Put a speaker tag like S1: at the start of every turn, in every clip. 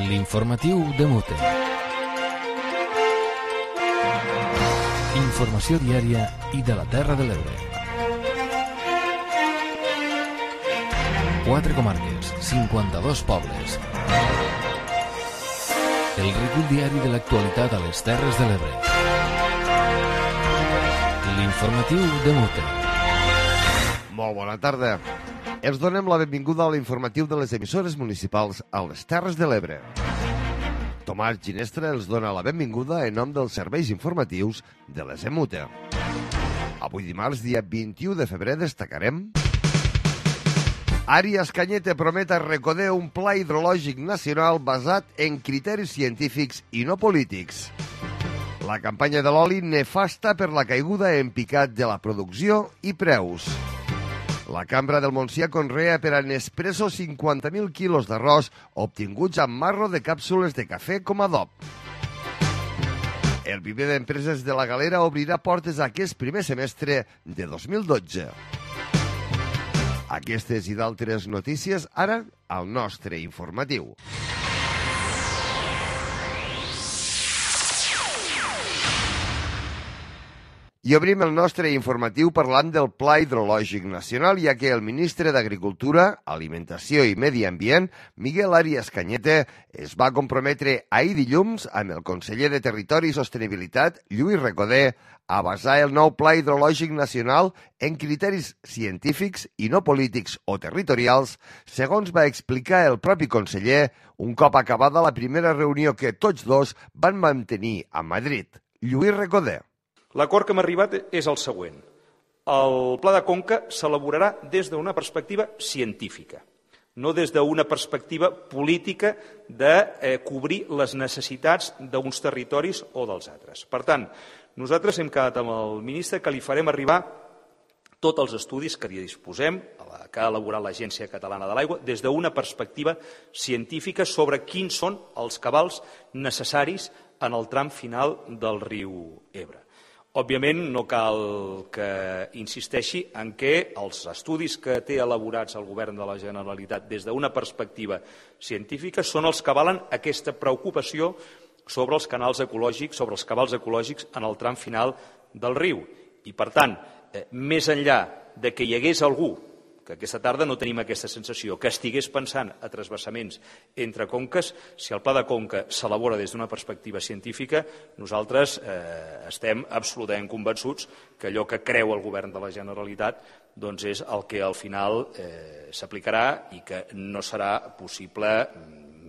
S1: L'informatiu de Mute. Informació diària i de la Terra de l'Ebre. 4 comarques, 52 pobles. El recull diari de l'actualitat a les Terres de l'Ebre. L'informatiu de Mute.
S2: Molt bona tarda. Els donem la benvinguda a l'informatiu de les emissores municipals a les Terres de l'Ebre. Tomàs Ginestra els dona la benvinguda en nom dels serveis informatius de les EMUTE. Avui dimarts, dia 21 de febrer, destacarem... Àries Cañete promet a Recoder un pla hidrològic nacional basat en criteris científics i no polítics. La campanya de l'oli nefasta per la caiguda en picat de la producció i preus. La Cambra del Montsià conrea per a Nespresso 50.000 quilos d'arròs obtinguts amb marro de càpsules de cafè com a adob. El viver d'empreses de la Galera obrirà portes aquest primer semestre de 2012. Aquestes i d'altres notícies ara al nostre informatiu. I obrim el nostre informatiu parlant del Pla Hidrològic Nacional, ja que el ministre d'Agricultura, Alimentació i Medi Ambient, Miguel Àries Cañete, es va comprometre ahir dilluns amb el conseller de Territori i Sostenibilitat, Lluís Recoder, a basar el nou Pla Hidrològic Nacional en criteris científics i no polítics o territorials, segons va explicar el propi conseller un cop acabada la primera reunió que tots dos van mantenir a Madrid. Lluís Recoder.
S3: L'acord que hem arribat és el següent. El Pla de Conca s'elaborarà des d'una perspectiva científica, no des d'una perspectiva política de cobrir les necessitats d'uns territoris o dels altres. Per tant, nosaltres hem quedat amb el ministre que li farem arribar tots els estudis que hi disposem, que ha elaborat l'Agència Catalana de l'Aigua, des d'una perspectiva científica sobre quins són els cabals necessaris en el tram final del riu Ebre. Òbviament, no cal que insisteixi en què els estudis que té elaborats el Govern de la Generalitat des d'una perspectiva científica són els que avalen aquesta preocupació sobre els canals ecològics, sobre els cabals ecològics en el tram final del riu. I, per tant, més enllà de que hi hagués algú, que aquesta tarda no tenim aquesta sensació, que estigués pensant a transvasaments entre conques, si el Pla de Conca s'elabora des d'una perspectiva científica, nosaltres estem absolutament convençuts que allò que creu el Govern de la Generalitat doncs és el que al final s'aplicarà i que no serà possible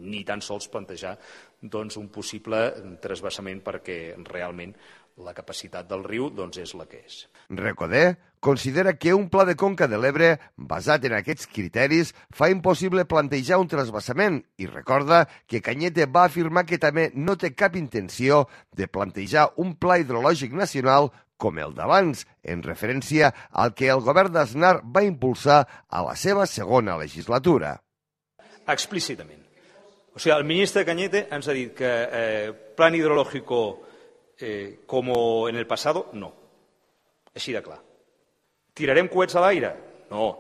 S3: ni tan sols plantejar un possible transvasament perquè realment la capacitat del riu és la que és.
S2: Recoder considera que un pla de conca de l'Ebre basat en aquests criteris fa impossible plantejar un transvasament i recorda que Cañete va afirmar que també no té cap intenció de plantejar un pla hidrològic nacional com el d'abans, en referència al que el govern d'Aznar va impulsar a la seva segona legislatura.
S3: Explícitament. O sigui, el ministre Cañete ens ha dit que plan hidrológico como en el pasado, no. Així de clar. Tirarem coets a l'aire? No.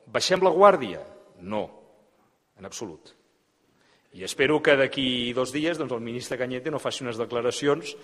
S3: Baixem la guàrdia? No. En absolut. I espero que d'aquí 2 dies el ministre Cañete no faci unes declaracions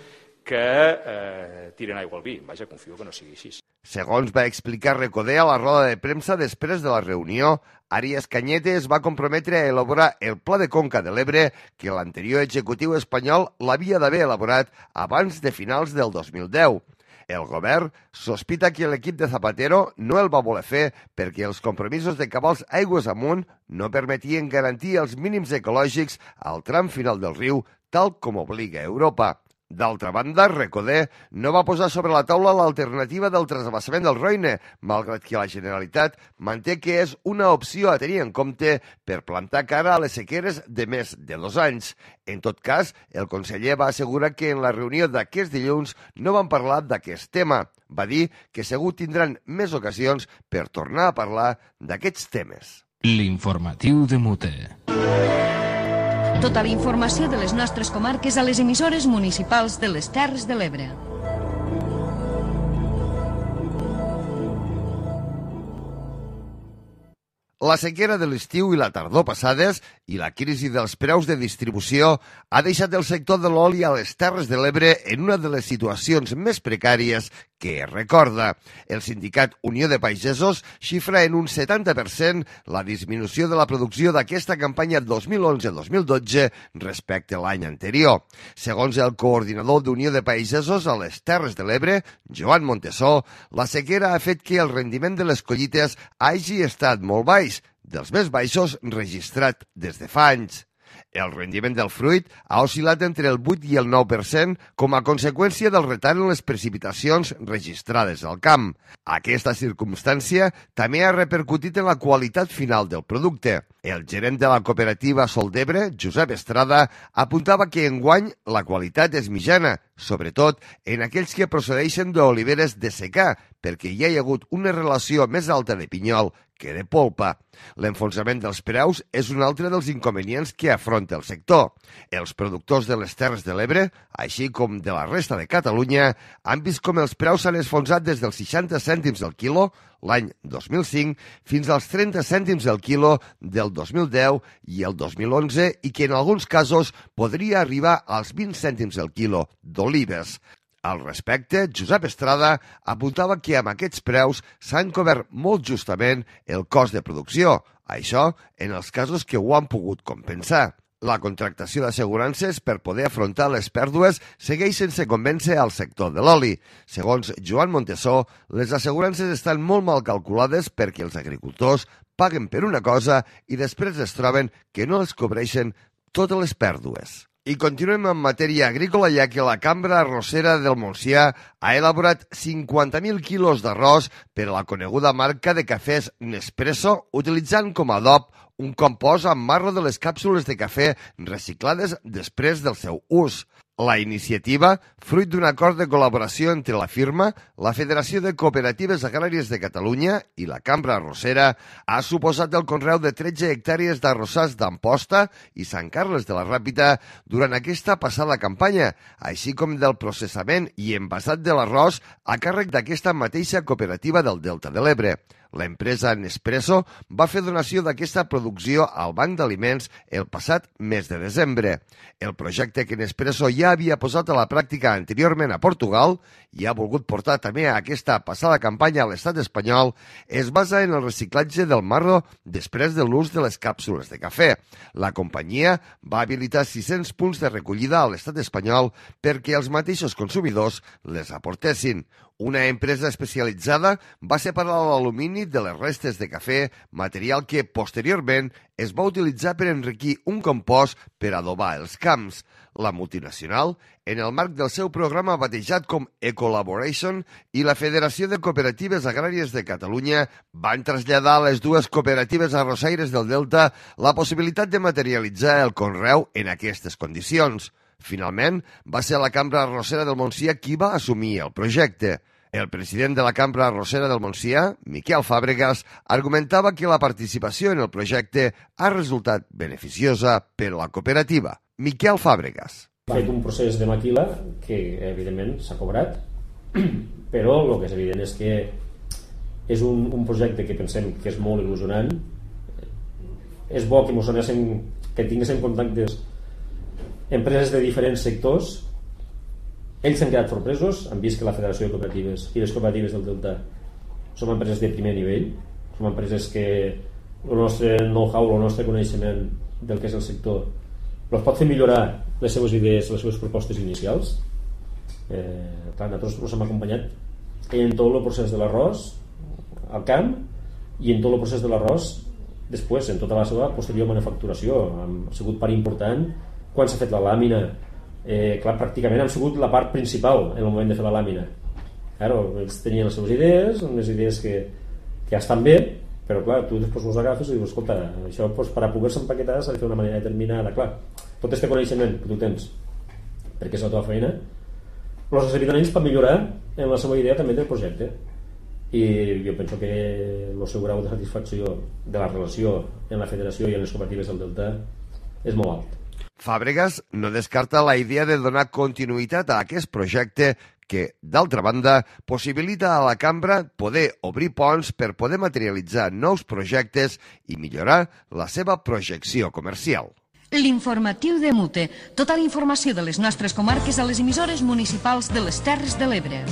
S3: que tiren aigua al vi. Vaja, confio que no sigui així.
S2: Segons va explicar Recoder a la roda de premsa després de la reunió, Àries Cañete es va comprometre a elaborar el Pla de Conca de l'Ebre que l'anterior executiu espanyol l'havia d'haver elaborat abans de finals del 2010. El govern sospita que l'equip de Zapatero no el va voler fer perquè els compromisos de cabals aigües amunt no permetien garantir els mínims ecològics al tram final del riu, tal com obliga Europa. D'altra banda, Recoder no va posar sobre la taula l'alternativa del transvasament del Roine, malgrat que la Generalitat manté que és una opció a tenir en compte per plantar cara a les sequeres de més de 2 anys. En tot cas, el conseller va assegurar que en la reunió d'aquest dilluns no van parlar d'aquest tema. Va dir que segur tindran més ocasions per tornar a parlar d'aquests temes.
S1: L'informatiu de Mute.
S4: Tota la informació de les nostres comarques a les emissores municipals de les Terres de l'Ebre.
S2: La sequera de l'estiu i la tardor passades i la crisi dels preus de distribució ha deixat el sector de l'oli a les Terres de l'Ebre en una de les situacions més precàries que es recorda. El sindicat Unió de Pagesos xifra en un 70% la disminució de la producció d'aquesta campanya 2011-2012 respecte a l'any anterior. Segons el coordinador d'Unió de Pagesos a les Terres de l'Ebre, Joan Montesó, la sequera ha fet que el rendiment de les collites hagi estat molt baix, dels més baixos registrat des de fa anys. El rendiment del fruit ha oscil·lat entre el 8 i el 9% com a conseqüència del retard en les precipitacions registrades al camp. Aquesta circumstància també ha repercutit en la qualitat final del producte. El gerent de la cooperativa Sol d'Ebre, Josep Estrada, apuntava que enguany la qualitat és mitjana, sobretot en aquells que procedeixen d'oliveres de secà, perquè hi ha hagut una relació més alta de pinyol que de polpa. L'enfonsament dels preus és un altre dels inconvenients que afronta el sector. Els productors de les Terres de l'Ebre, així com de la resta de Catalunya, han vist com els preus s'han esfonsat des dels 60 cèntims el quilo l'any 2005 fins als 30 cèntims el quilo del 2010 i el 2011 i que en alguns casos podria arribar als 20 cèntims el quilo d'olives. Al respecte, Josep Estrada apuntava que amb aquests preus s'han cobert molt justament el cost de producció, això en els casos que ho han pogut compensar. La contractació d'assegurances per poder afrontar les pèrdues segueix sense convèncer al sector de l'oli. Segons Joan Montesó, les assegurances estan molt mal calculades perquè els agricultors paguen per una cosa i després es troben que no els cobreixen totes les pèrdues. I continuem en matèria agrícola, ja que la Cambra Arrossera del Montsià ha elaborat 50.000 quilos d'arròs per a la coneguda marca de cafès Nespresso, utilitzant com a adob un compost amb marro de les càpsules de cafè reciclades després del seu ús. La iniciativa, fruit d'un acord de col·laboració entre la firma, la Federació de Cooperatives Agràries de Catalunya i la Cambra Arrossera, ha suposat el conreu de 13 hectàrees d'arrossars d'Amposta i Sant Carles de la Ràpita durant aquesta passada campanya, així com del processament i envasat de l'arròs a càrrec d'aquesta mateixa cooperativa del Delta de l'Ebre. L'empresa Nespresso va fer donació d'aquesta producció al Banc d'Aliments el passat mes de desembre. El projecte que Nespresso ja havia posat a la pràctica anteriorment a Portugal i ha volgut portar també a aquesta passada campanya a l'estat espanyol es basa en el reciclatge del marro després de l'ús de les càpsules de cafè. La companyia va habilitar 600 punts de recollida a l'estat espanyol perquè els mateixos consumidors les aportessin. Una empresa especialitzada va separar l'alumini de les restes de cafè, material que posteriorment es va utilitzar per enriquir un compost per adobar els camps. La multinacional, en el marc del seu programa batejat com Ecolaboration i la Federació de Cooperatives Agràries de Catalunya, van traslladar a les dues cooperatives arrossaires del Delta la possibilitat de materialitzar el conreu en aquestes condicions. Finalment, va ser la Cambra Arrossera del Montsià qui va assumir el projecte. El president de la Cambra Arrossera del Montsià, Miquel Fàbregas, argumentava que la participació en el projecte ha resultat beneficiosa per a la cooperativa. Miquel Fàbregas.
S5: Ha fet un procés de maquila que, evidentment, s'ha cobrat, però el que és evident és que és un projecte que pensem que és molt il·lusionant. És bo que tinguéssim contactes empreses de diferents sectors. Ells s'han quedat sorpresos, han vist que la Federació de Cooperatives i les cooperatives del Delta som empreses de primer nivell, som empreses que el nostre know-how, el nostre coneixement del que és el sector els pot fer millorar les seves idees, les seves propostes inicials. Clar, nosaltres ens hem acompanyat en tot el procés de l'arròs al camp i en tot el procés de l'arròs després, en tota la seva posterior manufacturació. Ha sigut part important quan s'ha fet la làmina. Clar, pràcticament han sigut la part principal en el moment de fer la làmina. Claro, ells tenien les seves idees, unes idees que ja estan bé, però clar, tu després els agafes i dius, escolta, això per a poder-se empaquetar s'ha de fer d'una manera determinada. Clar, tot este coneixement que tu tens perquè és la teva feina els serviran ells per millorar en la seva idea també del projecte, i jo penso que el seu grau de satisfacció de la relació en la federació i en les cooperatives del Delta és molt alt.
S2: Fàbregas no descarta la idea de donar continuïtat a aquest projecte que, d'altra banda, possibilita a la cambra poder obrir ponts per poder materialitzar nous projectes i millorar la seva projecció comercial.
S4: L'informatiu de Mute. Tota la informació de les nostres comarques a les emissores municipals de les Terres de l'Ebre.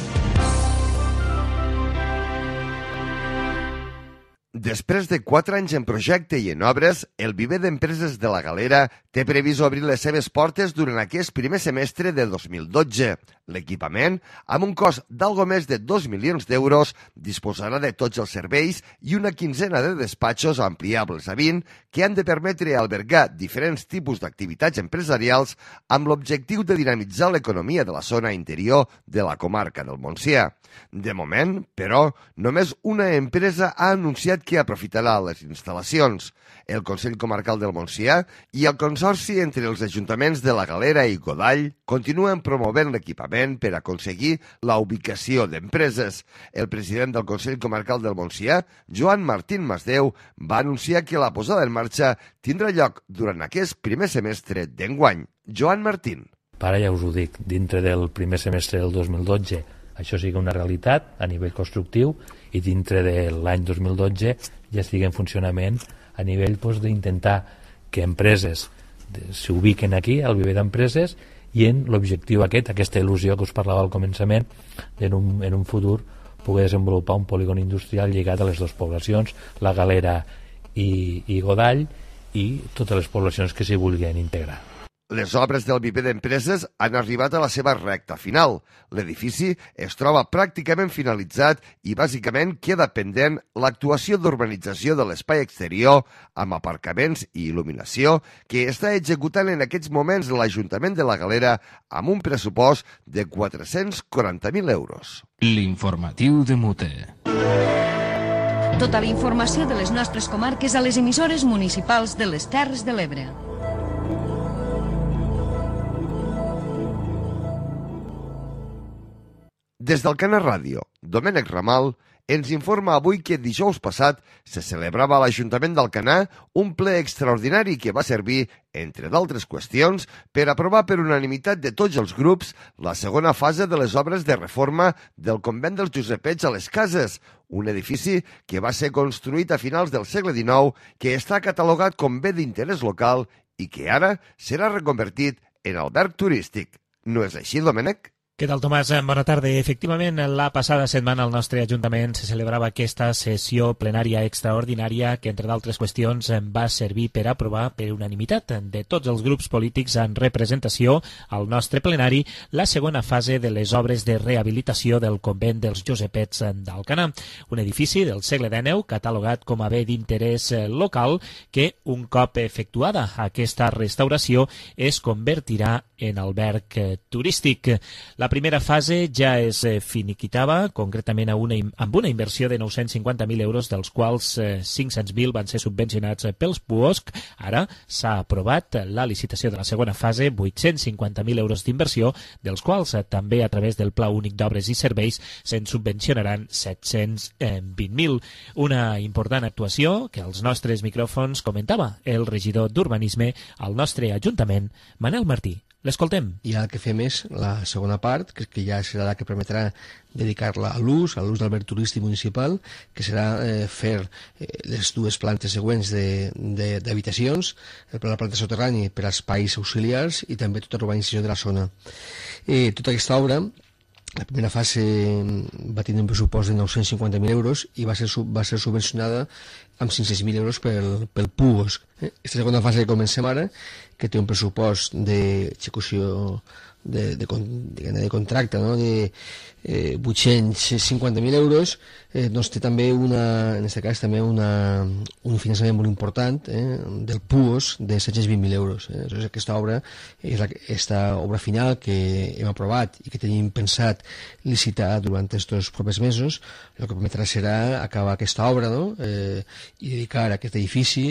S2: Després de 4 anys en projecte i en obres, el viver d'empreses de la Galera té previst obrir les seves portes durant aquest primer semestre de 2012. L'equipament, amb un cost d'algo més de 2 milions d'euros, disposarà de tots els serveis i una quinzena de despatxos ampliables a 20 que han de permetre albergar diferents tipus d'activitats empresarials amb l'objectiu de dinamitzar l'economia de la zona interior de la comarca del Montsià. De moment, però, només una empresa ha anunciat que aprofitarà les instal·lacions. El Consell Comarcal del Montsià i el Consorci entre els ajuntaments de la Galera i Godall continuen promovent l'equipament per aconseguir la ubicació d'empreses. El president del Consell Comarcal del Montsià, Joan Martín Masdeu, va anunciar que la posada en marxa tindrà lloc durant aquest primer semestre d'enguany. Joan Martín.
S6: Ara ja us ho dic, dintre del primer semestre del 2012 això sigui una realitat a nivell constructiu i dintre de l'any 2012 ja estigui en funcionament a nivell d'intentar que empreses s'ubiquen aquí, al viver d'empreses, i en l'objectiu aquesta il·lusió que us parlava al començament, en un futur poder desenvolupar un polígon industrial lligat a les dues poblacions, la Galera i Godall, i totes les poblacions que s'hi vulguin integrar.
S2: Les obres del viver d'empreses han arribat a la seva recta final. L'edifici es troba pràcticament finalitzat i bàsicament queda pendent l'actuació d'urbanització de l'espai exterior amb aparcaments i il·luminació que està executant en aquests moments l'Ajuntament de la Galera amb un pressupost de 440.000 euros.
S1: L'informatiu de Mute.
S4: Tota la informació de les nostres comarques a les emissores municipals de les Terres de l'Ebre.
S2: Des del Canal Ràdio, Domènec Ramal ens informa avui que dijous passat se celebrava a l'Ajuntament d'Alcanar un ple extraordinari que va servir, entre d'altres qüestions, per aprovar per unanimitat de tots els grups la segona fase de les obres de reforma del convent dels Josepets a les Cases, un edifici que va ser construït a finals del segle XIX, que està catalogat com bé d'interès local i que ara serà reconvertit en alberg turístic. No és així, Domènec?
S7: Què tal, Tomàs? Bona tarda. Efectivament, la passada setmana al nostre Ajuntament se celebrava aquesta sessió plenària extraordinària que, entre d'altres qüestions, va servir per aprovar per unanimitat de tots els grups polítics en representació al nostre plenari la segona fase de les obres de rehabilitació del convent dels Josepets d'Alcanar, un edifici del segle XIX catalogat com a bé d'interès local que, un cop efectuada aquesta restauració, es convertirà en alberg turístic. La primera fase ja es finiquitava, concretament amb una inversió de 950.000 euros, dels quals 500.000 van ser subvencionats pels PUOSC. Ara s'ha aprovat la licitació de la segona fase, 850.000 euros d'inversió, dels quals també a través del Pla Únic d'Obres i Serveis se'n subvencionaran 720.000. Una important actuació que als nostres micròfons comentava el regidor d'Urbanisme al nostre Ajuntament, Manel Martí. L'escoltem.
S8: I el que fem és la segona part, que ja serà la que permetrà dedicar-la a l'ús d'alberg turístic municipal, que serà fer les dues plantes següents d'habitacions, la planta soterrani per a espais auxiliars i també tota l'urbanització de la zona. Tota aquesta obra, la primera fase va tenir un pressupost de 950.000 euros i va ser subvencionada amb 500.000 euros pel PUOSC. Aquesta segona fase que comencem ara, que té un pressupost d'execució de contracte, no? de 850.000 euros, doncs té també en aquest cas també un finançament molt important del PUOSC de 720.000 euros. Aleshores, aquesta obra és aquesta obra final que hem aprovat i que tenim pensat licitar durant aquests propers mesos. El que permetrà serà acabar aquesta obra, no? I dedicar aquest edifici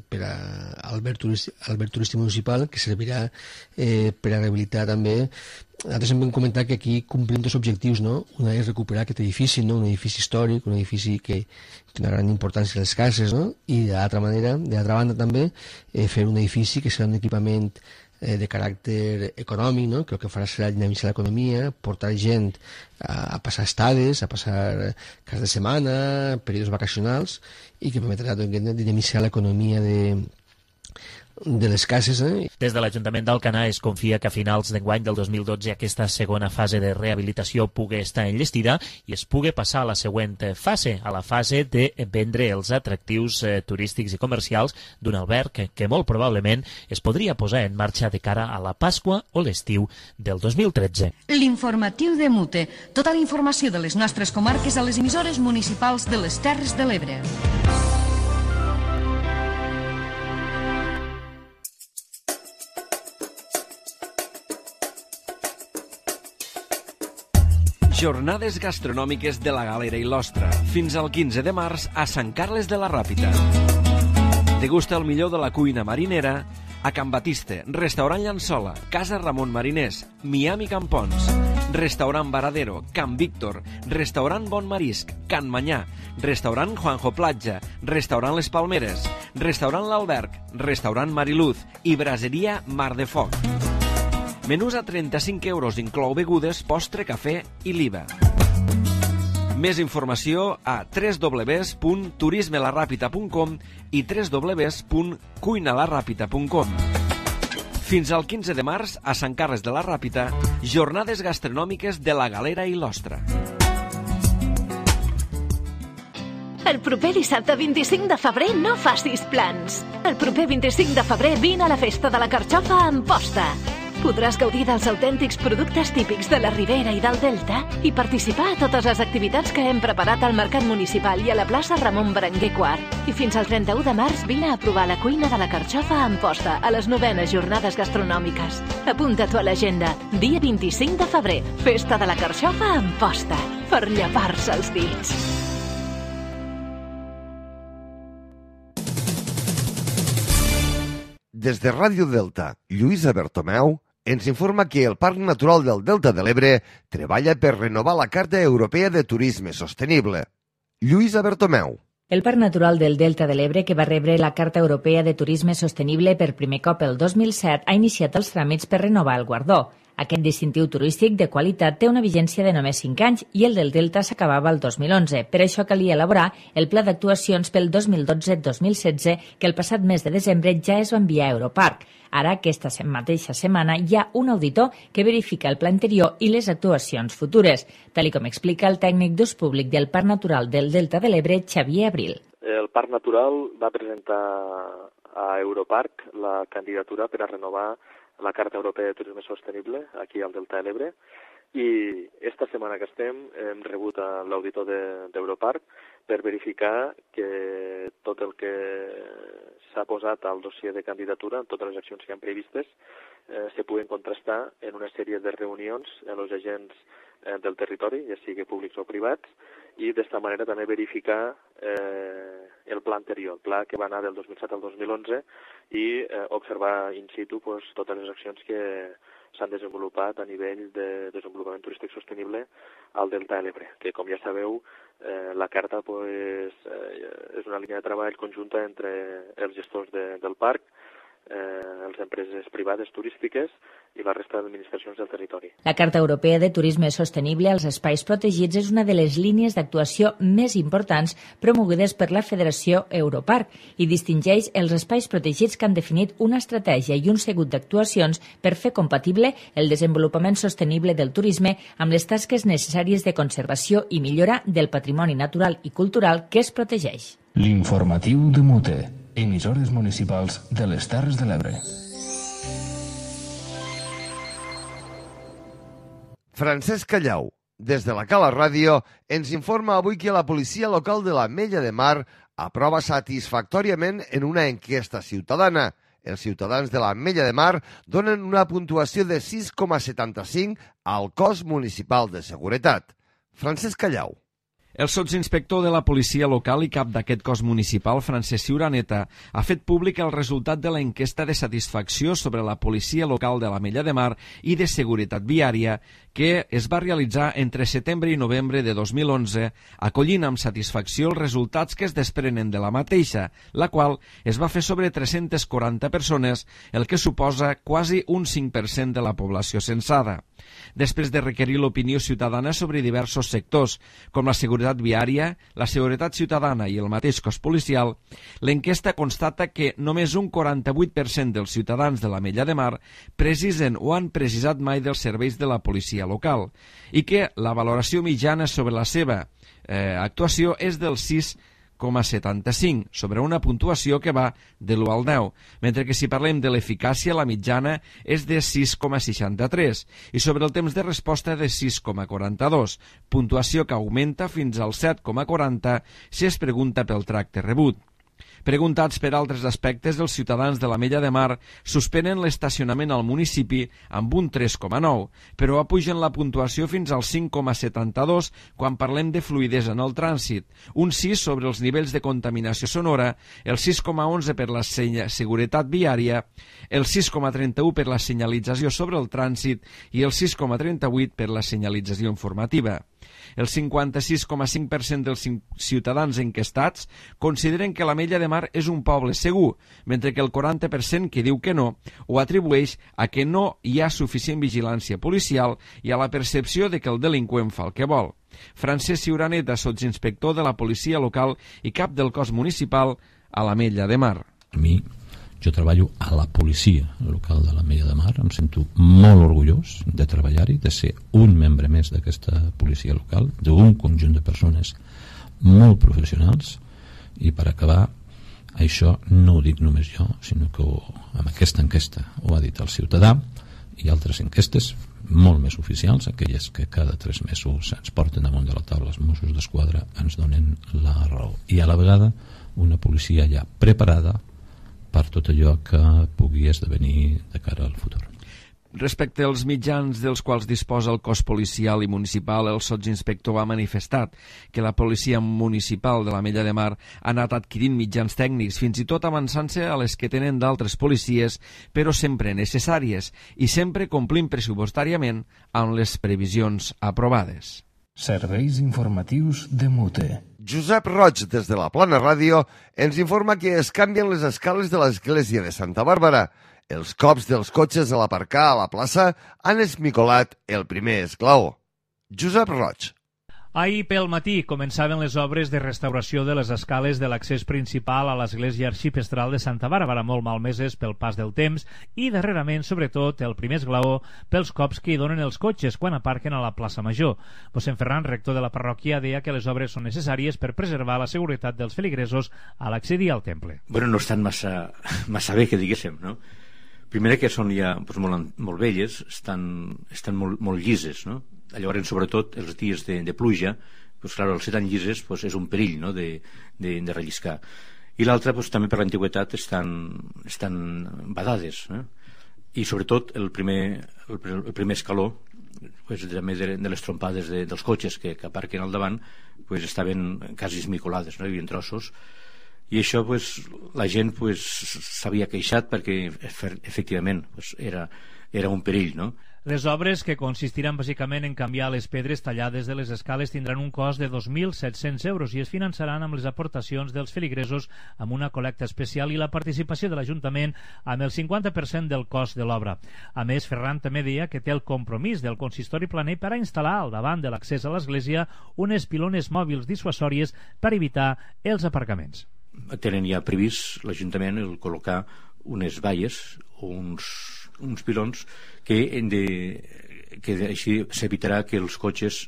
S8: per a alberg turístic municipal, que servirà per a rehabilitar també nosaltres hem comentat que aquí complim dos objectius, no? Una és recuperar aquest edifici, no? Un edifici històric, un edifici que té una gran importància a les cases, no? I d'altra banda també, fer un edifici que serà un equipament de caràcter econòmic, no? Que el que farà serà dinamitzar l'economia, portar gent a passar estades, a passar caps de setmana, períodes vacacionals, i que permetrà dinamitzar l'economia de les cases.
S7: Des de l'Ajuntament d'Alcanar es confia que a finals d'enguany del 2012 aquesta segona fase de rehabilitació pugui estar enllestida i es pugui passar a la següent fase, a la fase de vendre els atractius turístics i comercials d'un alberg que molt probablement es podria posar en marxa de cara a la Pasqua o l'estiu del 2013.
S4: L'informatiu de Mute. Tota la informació de les nostres comarques a les emissores municipals de les Terres de l'Ebre.
S9: Jornades gastronòmiques de la Galera i l'Ostra, fins al 15 de març a Sant Carles de la Ràpita. Degusta el millor de la cuina marinera a Can Batiste, Restaurant Llançola, Casa Ramon Mariners, Miami Campons, Restaurant Varadero, Can Víctor, Restaurant Bon Marisc, Can Manyà, Restaurant Juanjo Platja, Restaurant Les Palmeres, Restaurant L'Alberg, Restaurant Mariluz i Braseria Mar de Foc. Menús a 35 euros, inclou begudes, postre, cafè i l'IVA. Més informació a www.turismelarrapita.com i www.cuinalarrapita.com. Fins al 15 de març, a Sant Carles de la Ràpita, jornades gastronòmiques de la Galera i l'Ostra.
S10: El proper dissabte 25 de febrer no facis plans. El proper 25 de febrer vine a la festa de la Carxofa a Amposta. Podràs gaudir dels autèntics productes típics de la Ribera i del Delta i participar a totes les activitats que hem preparat al Mercat Municipal i a la plaça Ramon Berenguer IV. I fins al 31 de març vine a provar la cuina de la Carxofa a Amposta a les 9enes jornades gastronòmiques. Apunta-t'ho a l'agenda. Dia 25 de febrer, festa de la Carxofa a Amposta. Per llepar-se els dits.
S2: Des de Ràdio Delta, Lluïsa Bertomeu ens informa que el Parc Natural del Delta de l'Ebre treballa per renovar la Carta Europea de Turisme Sostenible. Lluïsa Bertomeu.
S11: El Parc Natural del Delta de l'Ebre, que va rebre la Carta Europea de Turisme Sostenible per primer cop el 2007, ha iniciat els tràmits per renovar el guardó. Aquest distintiu turístic de qualitat té una vigència de només 5 anys i el del Delta s'acabava el 2011. Per això calia elaborar el pla d'actuacions pel 2012-2016 que el passat mes de desembre ja es va enviar a Europarc. Ara, aquesta mateixa setmana, hi ha un auditor que verifica el pla anterior i les actuacions futures, tal com explica el tècnic d'ús públic del Parc Natural del Delta de l'Ebre, Xavier Abril.
S12: El Parc Natural va presentar a Europarc la candidatura per a renovar la Carta Europea de Turisme Sostenible aquí al Delta de l'Ebre i esta setmana que estem hem rebut a l'auditor d'Europarc per verificar que tot el que s'ha posat al dossier de candidatura, totes les accions que han previstes, se puguen contrastar en una sèrie de reunions amb els agents del territori, ja sigui públics o privats, i d'esta manera també verificar el pla anterior, el pla que va anar del 2007 al 2011 i observar in situ totes les accions que s'han desenvolupat a nivell de desenvolupament turístic sostenible al Delta de l'Ebre, que com ja sabeu la carta és una línia de treball conjunta entre els gestors del parc, les empreses privades turístiques i la resta d'administracions del territori.
S11: La Carta Europea de Turisme Sostenible als Espais Protegits és una de les línies d'actuació més importants promogudes per la Federació Europarc i distingeix els espais protegits que han definit una estratègia i un seguit d'actuacions per fer compatible el desenvolupament sostenible del turisme amb les tasques necessàries de conservació i millora del patrimoni natural i cultural que es protegeix.
S1: L'informatiu de Mute. Emissores municipals de les Terres de l'Ebre.
S2: Francesc Callau, des de la Cala Ràdio, ens informa avui que la policia local de l'Ametlla de Mar aprova satisfactòriament en una enquesta ciutadana. Els ciutadans de l'Ametlla de Mar donen una puntuació de 6,75 al cos municipal de seguretat. Francesc Callau.
S9: El sotsinspector de la policia local i cap d'aquest cos municipal, Francesc Ciuraneta, ha fet públic el resultat de la enquesta de satisfacció sobre la policia local de l'Ametlla de Mar i de seguretat viària que es va realitzar entre setembre i novembre de 2011, acollint amb satisfacció els resultats que es desprenen de la mateixa, la qual es va fer sobre 340 persones, el que suposa quasi un 5% de la població censada. Després de requerir l'opinió ciutadana sobre diversos sectors, com la seguretat viària, la seguretat ciutadana i el mateix cos policial, l'enquesta constata que només un 48% dels ciutadans de l'Ametlla de Mar precisen o han precisat mai dels serveis de la policia local i que la valoració mitjana sobre la seva actuació és del 6,75 sobre una puntuació que va de l'1 al 10, mentre que si parlem de l'eficàcia, la mitjana és de 6,63 i sobre el temps de resposta de 6,42, puntuació que augmenta fins al 7,40 si es pregunta pel tracte rebut. Preguntats per altres aspectes, els ciutadans de l'Ametlla de Mar suspenen l'estacionament al municipi amb un 3,9, però apugen la puntuació fins al 5,72 quan parlem de fluïdesa en el trànsit, un 6 sobre els nivells de contaminació sonora, el 6,11 per la seguretat viària, el 6,31 per la senyalització sobre el trànsit i el 6,38 per la senyalització informativa. El 56,5% dels ciutadans enquestats consideren que l'Ametlla de Mar és un poble segur, mentre que el 40% que diu que no ho atribueix a que no hi ha suficient vigilància policial i a la percepció de que el delinqüent fa el que vol. Francesc Ciuraneta, sotsinspector de la policia local i cap del cos municipal a l'Ametlla de Mar.
S13: Jo treballo a la policia local de l'Ametlla de Mar, em sento molt orgullós de treballar-hi, de ser un membre més d'aquesta policia local, d'un conjunt de persones molt professionals, i per acabar, això no ho dic només jo, sinó que amb aquesta enquesta ho ha dit el ciutadà, i altres enquestes molt més oficials, aquelles que cada 3 mesos ens porten damunt de la taula els Mossos d'Esquadra, ens donen la raó. I a la vegada una policia ja preparada per tot allò que pugui esdevenir de cara al futur.
S9: Respecte als mitjans dels quals disposa el cos policial i municipal, el sotsinspector ha manifestat que la policia municipal de l'Ametlla de Mar ha anat adquirint mitjans tècnics, fins i tot avançant-se a les que tenen d'altres policies, però sempre necessàries i sempre complint pressupostàriament amb les previsions aprovades.
S1: Serveis informatius de Mute.
S2: Josep Roig, des de la Plana Ràdio, ens informa que es canvien les escales de l'església de Santa Bàrbara. Els cops dels cotxes a l'aparcar a la plaça han esmicolat el primer esglaó. Josep Roig.
S14: Ahir pel matí començaven les obres de restauració de les escales de l'accés principal a l'església arxipestral de Santa Bàrbara, molt malmeses pel pas del temps, i darrerament, sobretot, el primer esglaó pels cops que hi donen els cotxes quan aparquen a la plaça Major. Mossèn Ferran, rector de la parròquia, deia que les obres són necessàries per preservar la seguretat dels feligresos a l'accedir al temple.
S15: Bueno, no estan massa bé, que diguéssim, no? Primera, que són ja molt velles, estan molt llises, no? Llavors, sobretot, els dies de pluja, pues, clar, els tan llises pues, és un perill, no? de relliscar. I l'altra, pues, també per l'antiguitat, estan badades, no? I sobretot el primer escaló, pues, també de les trompades dels cotxes que aparquen al davant, pues, estaven quasi esmicolades, no? Hi havia trossos. I això, pues, la gent pues, s'havia queixat perquè efectivament pues, era un perill, no?
S14: Les obres, que consistiran bàsicament en canviar les pedres tallades de les escales, tindran un cost de 2.700 euros i es finançaran amb les aportacions dels feligresos amb una col·lecta especial i la participació de l'Ajuntament amb el 50% del cost de l'obra. A més, Ferran també deia que té el compromís del consistori planer per a instal·lar al davant de l'accés a l'església unes pilones mòbils dissuasòries per evitar els aparcaments.
S15: Tenen ja previst l'Ajuntament el col·locar unes valles o uns pilons que així s'evitarà que els cotxes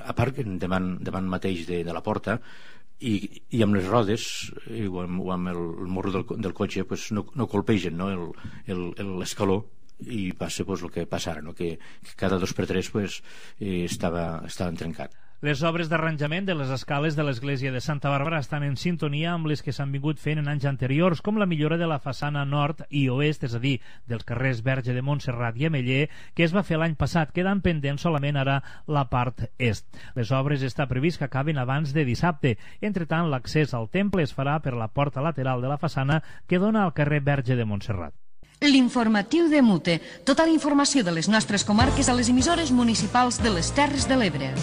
S15: aparquen davant mateix de la porta i amb les rodes o amb el morro del cotxe pues, no colpegen, no, l'escaló, i passa pues, el que passa ara, no? que cada 2x3 pues, estava trencat.
S14: Les obres d'arranjament de les escales de l'església de Santa Bàrbara estan en sintonia amb les que s'han vingut fent en anys anteriors, com la millora de la façana nord i oest, és a dir, dels carrers Verge de Montserrat i Ameller, que es va fer l'any passat, quedant pendent solament ara la part est. Les obres està previst que acaben abans de dissabte. Entretant, l'accés al temple es farà per la porta lateral de la façana que dona al carrer Verge de Montserrat.
S4: L'informatiu de Mute. Tota la informació de les nostres comarques a les emissores municipals de les Terres de l'Ebre.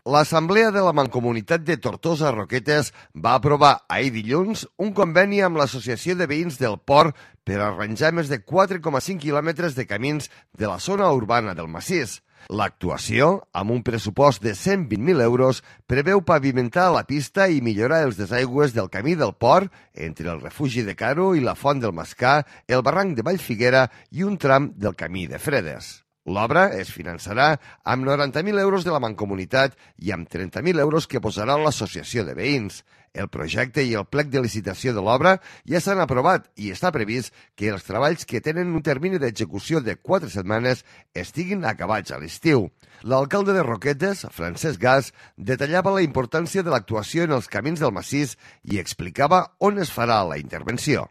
S2: L'Assemblea de la Mancomunitat de Tortosa Roquetes va aprovar ahir dilluns un conveni amb l'Associació de Veïns del Port per arranjar més de 4,5 quilòmetres de camins de la zona urbana del massís. L'actuació, amb un pressupost de 120.000 euros, preveu pavimentar la pista i millorar els desaigües del camí del port entre el refugi de Caro i la Font del Mascà, el barranc de Vallfiguera i un tram del camí de Fredes. L'obra es finançarà amb 90.000 euros de la Mancomunitat i amb 30.000 euros que posarà l'Associació de Veïns. El projecte i el plec de licitació de l'obra ja s'han aprovat i està previst que els treballs que tenen un termini d'execució de 4 setmanes estiguin acabats a l'estiu. L'alcalde de Roquetes, Francesc Gas, detallava la importància de l'actuació en els camins del massís i explicava on es farà la intervenció.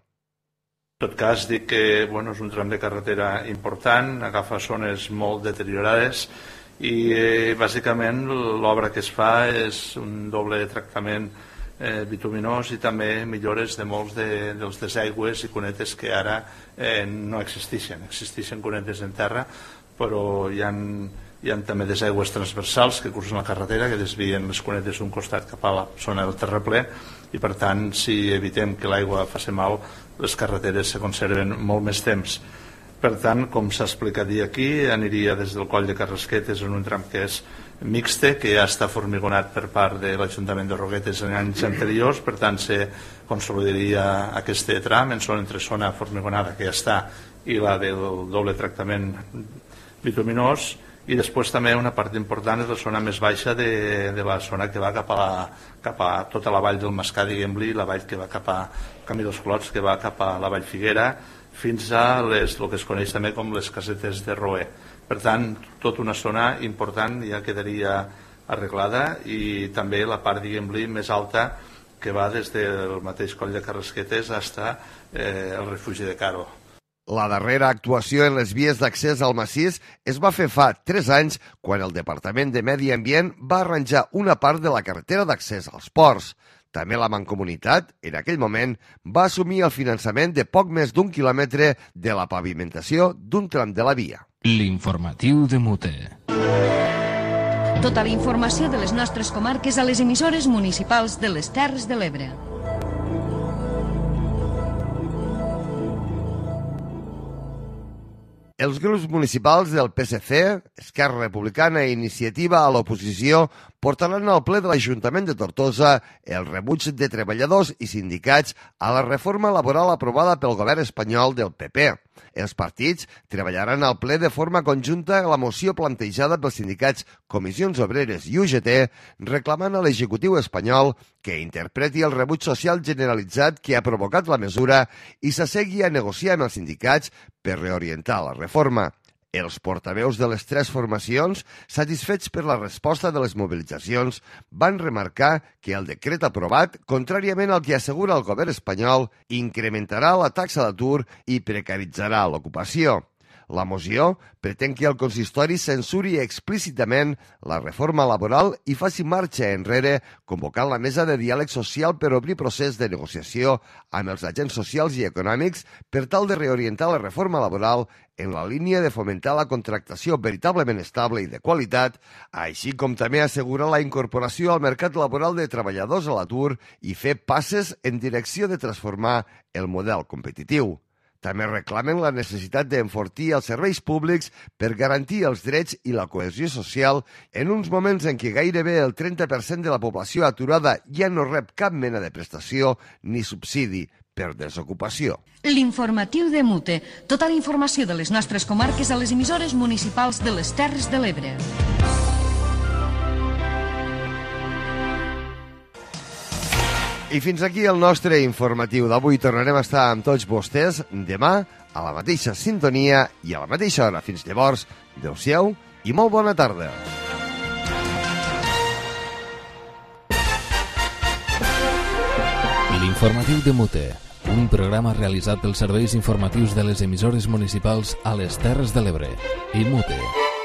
S16: En tot cas, dic que és un tram de carretera important, agafa zones molt deteriorades i bàsicament l'obra que es fa és un doble tractament bituminós i també millores de molts dels desaigües i cunetes que ara no existeixen. Existeixen cunetes en terra, però hi ha també desaigües transversals que cursen la carretera, que desvien les cunetes d'un costat cap a la zona del terraplè i per tant, si evitem que l'aigua faci mal, les carreteres se conserven molt més temps. Per tant, com s'ha explicat aquí, aniria des del coll de Carrasquetes en un tram que és mixte, que ja està formigonat per part de l'Ajuntament de Roquetes en anys anteriors, per tant se consolidaria aquest tram entre zona formigonada que ja està i la del doble tractament bituminós, i després també una part important és la zona més baixa de la zona que va cap a tota la vall del Mascà, diguem-li, la vall que va cap a Camí dels Clots, que va cap a la Vallfiguera, fins a el que es coneix també com les casetes de Roer. Per tant, tota una zona important ja quedaria arreglada i també la part, diguem-li, més alta que va des del mateix coll de Carrasquetes fins al refugi de Caro.
S2: La darrera actuació en les vies d'accés al massís es va fer fa 3 anys quan el Departament de Medi Ambient va arranjar una part de la carretera d'accés als ports. També la Mancomunitat, en aquell moment, va assumir el finançament de poc més d'1 quilòmetre de la pavimentació d'un tram de la via.
S1: L'informatiu de Mute.
S4: Tota la informació de les nostres comarques a les emissores municipals de les Terres de l'Ebre.
S2: Els grups municipals del PSC, Esquerra Republicana i Iniciativa a l'oposició portaran al ple de l'Ajuntament de Tortosa el rebuig de treballadors i sindicats a la reforma laboral aprovada pel govern espanyol del PP. Els partits treballaran al ple de forma conjunta a la moció plantejada pels sindicats Comissions Obreres i UGT, reclamant a l'executiu espanyol que interpreti el rebuig social generalitzat que ha provocat la mesura i s'assegui a negociar amb els sindicats per reorientar la reforma. Els portaveus de les 3 formacions, satisfets per la resposta de les mobilitzacions, van remarcar que el decret aprovat, contràriament al que assegura el govern espanyol, incrementarà la taxa d'atur i precaritzarà l'ocupació. La moció pretén que el consistori censuri explícitament la reforma laboral i faci marxa enrere, convocant la mesa de diàleg social per obrir procés de negociació amb els agents socials i econòmics per tal de reorientar la reforma laboral en la línia de fomentar la contractació veritablement estable i de qualitat, així com també assegurar la incorporació al mercat laboral de treballadors a l'atur i fer passes en direcció de transformar el model competitiu. També reclamen la necessitat d'enfortir els serveis públics per garantir els drets i la cohesió social en uns moments en què gairebé el 30% de la població aturada ja no rep cap mena de prestació ni subsidi per desocupació.
S4: L'informatiu de Mute. Tota la informació de les nostres comarques a les emissores municipals de les Terres de l'Ebre.
S2: I fins aquí el nostre informatiu d'avui. Tornarem a estar amb tots vostès demà a la mateixa sintonia i a la mateixa hora. Fins llavors, adeu-siau i molt bona tarda.
S1: L'informatiu de Mute, un programa realitzat pels serveis informatius de les emissores municipals a les Terres de l'Ebre i Mute.